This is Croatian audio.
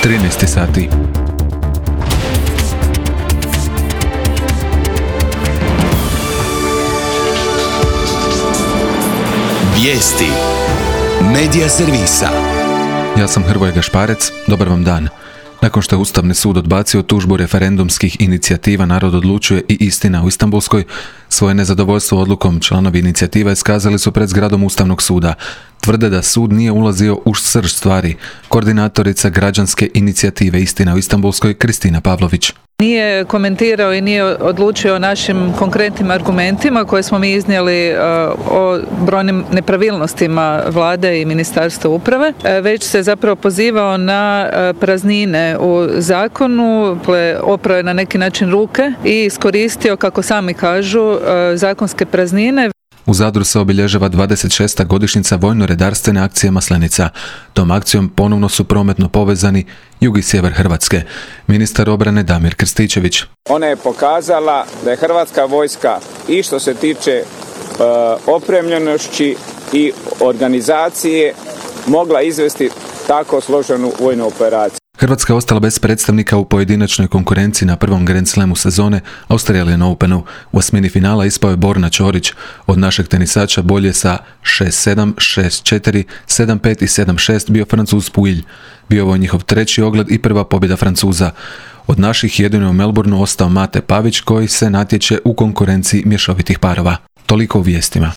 13 sati. Vijesti Medija servisa. Ja sam Hrvoje Gašparec, dobar vam dan. Nakon što je Ustavni sud odbacio tužbu referendumskih inicijativa Narod odlučuje i Istina u Istanbulskoj, svoje nezadovoljstvo odlukom članovi inicijativa iskazali su pred zgradom Ustavnog suda. Tvrde da sud nije ulazio u srž stvari. Koordinatorica građanske inicijative Istina u Istanbulskoj, Kristina Pavlović. Nije komentirao i nije odlučio o našim konkretnim argumentima koje smo mi iznijeli o brojnim nepravilnostima vlade i Ministarstva uprave, već se zapravo pozivao na praznine u zakonu, oprao je na neki način ruke i iskoristio, kako sami kažu, zakonske praznine. U Zadru se obilježava 26. godišnjica vojno-redarstvene akcije Maslenica. Tom akcijom ponovno su prometno povezani jug i sjever Hrvatske. Ministar obrane Damir Krstičević. Ona je pokazala da je Hrvatska vojska i što se tiče opremljenosti i organizacije mogla izvesti tako složenu vojnu operaciju. Hrvatska je ostala bez predstavnika u pojedinačnoj konkurenciji na prvom Grand Slamu sezone Australian Openu. U osmini finala ispao je Borna Ćorić. Od našeg tenisača bolje sa 6-7, 6-4, 7-5 i 7-6 bio Francuz Pouille. Bio ovo njihov treći ogled i prva pobjeda Francuza. Od naših jedino je u Melbourneu ostao Mate Pavić koji se natječe u konkurenciji mješovitih parova. Toliko u vijestima.